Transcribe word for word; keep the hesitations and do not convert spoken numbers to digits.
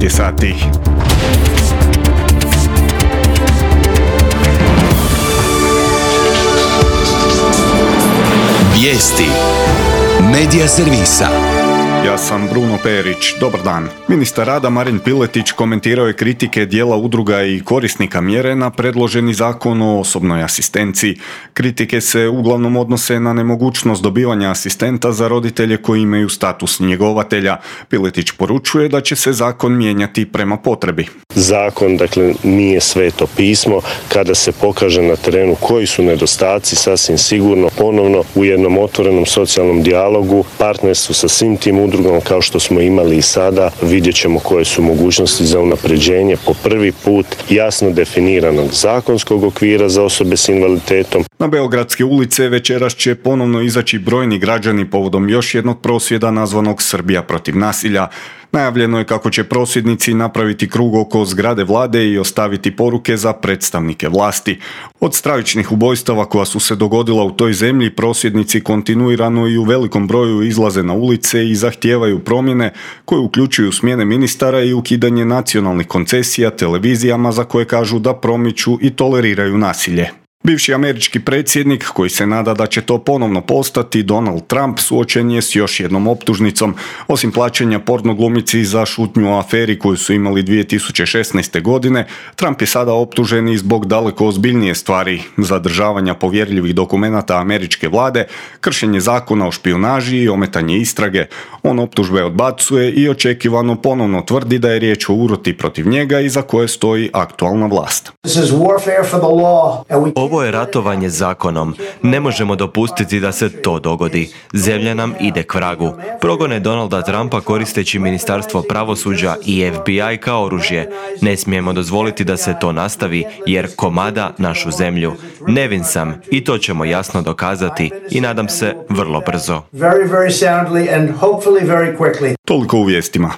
šest je sati. Vijesti Medija servisa. Ja sam Bruno Perić, dobar dan. Ministar rada Marin Piletić komentirao je kritike dijela udruga i korisnika mjere na predloženi zakon o osobnoj asistenciji. Kritike se uglavnom odnose na nemogućnost dobivanja asistenta za roditelje koji imaju status njegovatelja. Piletić poručuje da će se zakon mijenjati prema potrebi. Zakon, dakle, nije sveto pismo. Kada se pokaže na terenu koji su nedostaci, sasvim sigurno ponovno u jednom otvorenom socijalnom dijalogu, partnerstvu sa svim tim udrugama kao što smo imali i sada, vidjet ćemo koje su mogućnosti za unapređenje po prvi put jasno definiranog zakonskog okvira za osobe s invaliditetom. Na beogradske ulice večeras će ponovno izaći brojni građani povodom još jednog prosvjeda nazvanog Srbija protiv nasilja. Najavljeno je kako će prosvjednici napraviti krug oko zgrade vlade i ostaviti poruke za predstavnike vlasti. Od stravičnih ubojstava koja su se dogodila u toj zemlji, prosvjednici kontinuirano i u velikom broju izlaze na ulice i zahtijevaju promjene koje uključuju smjene ministara i ukidanje nacionalnih koncesija televizijama za koje kažu da promiču i toleriraju nasilje. Bivši američki predsjednik, koji se nada da će to ponovno postati, Donald Trump, suočen je s još jednom optužnicom. Osim plaćanja porno glumici za šutnju o aferi koju su imali dvije tisuće šesnaeste. godine, Trump je sada optužen i zbog daleko ozbiljnije stvari: zadržavanja povjerljivih dokumenata američke vlade, kršenje zakona o špijunaži i ometanje istrage. On optužbe odbacuje i očekivano ponovno tvrdi da je riječ o uroti protiv njega iza koje stoji aktualna vlast. Ovo je ratovanje zakonom. Ne možemo dopustiti da se to dogodi. Zemlja nam ide k vragu. Progone Donalda Trumpa koristeći Ministarstvo pravosuđa i F B I kao oružje. Ne smijemo dozvoliti da se to nastavi jer komada našu zemlju. Nevin sam i to ćemo jasno dokazati i nadam se vrlo brzo. Toliko u vijestima.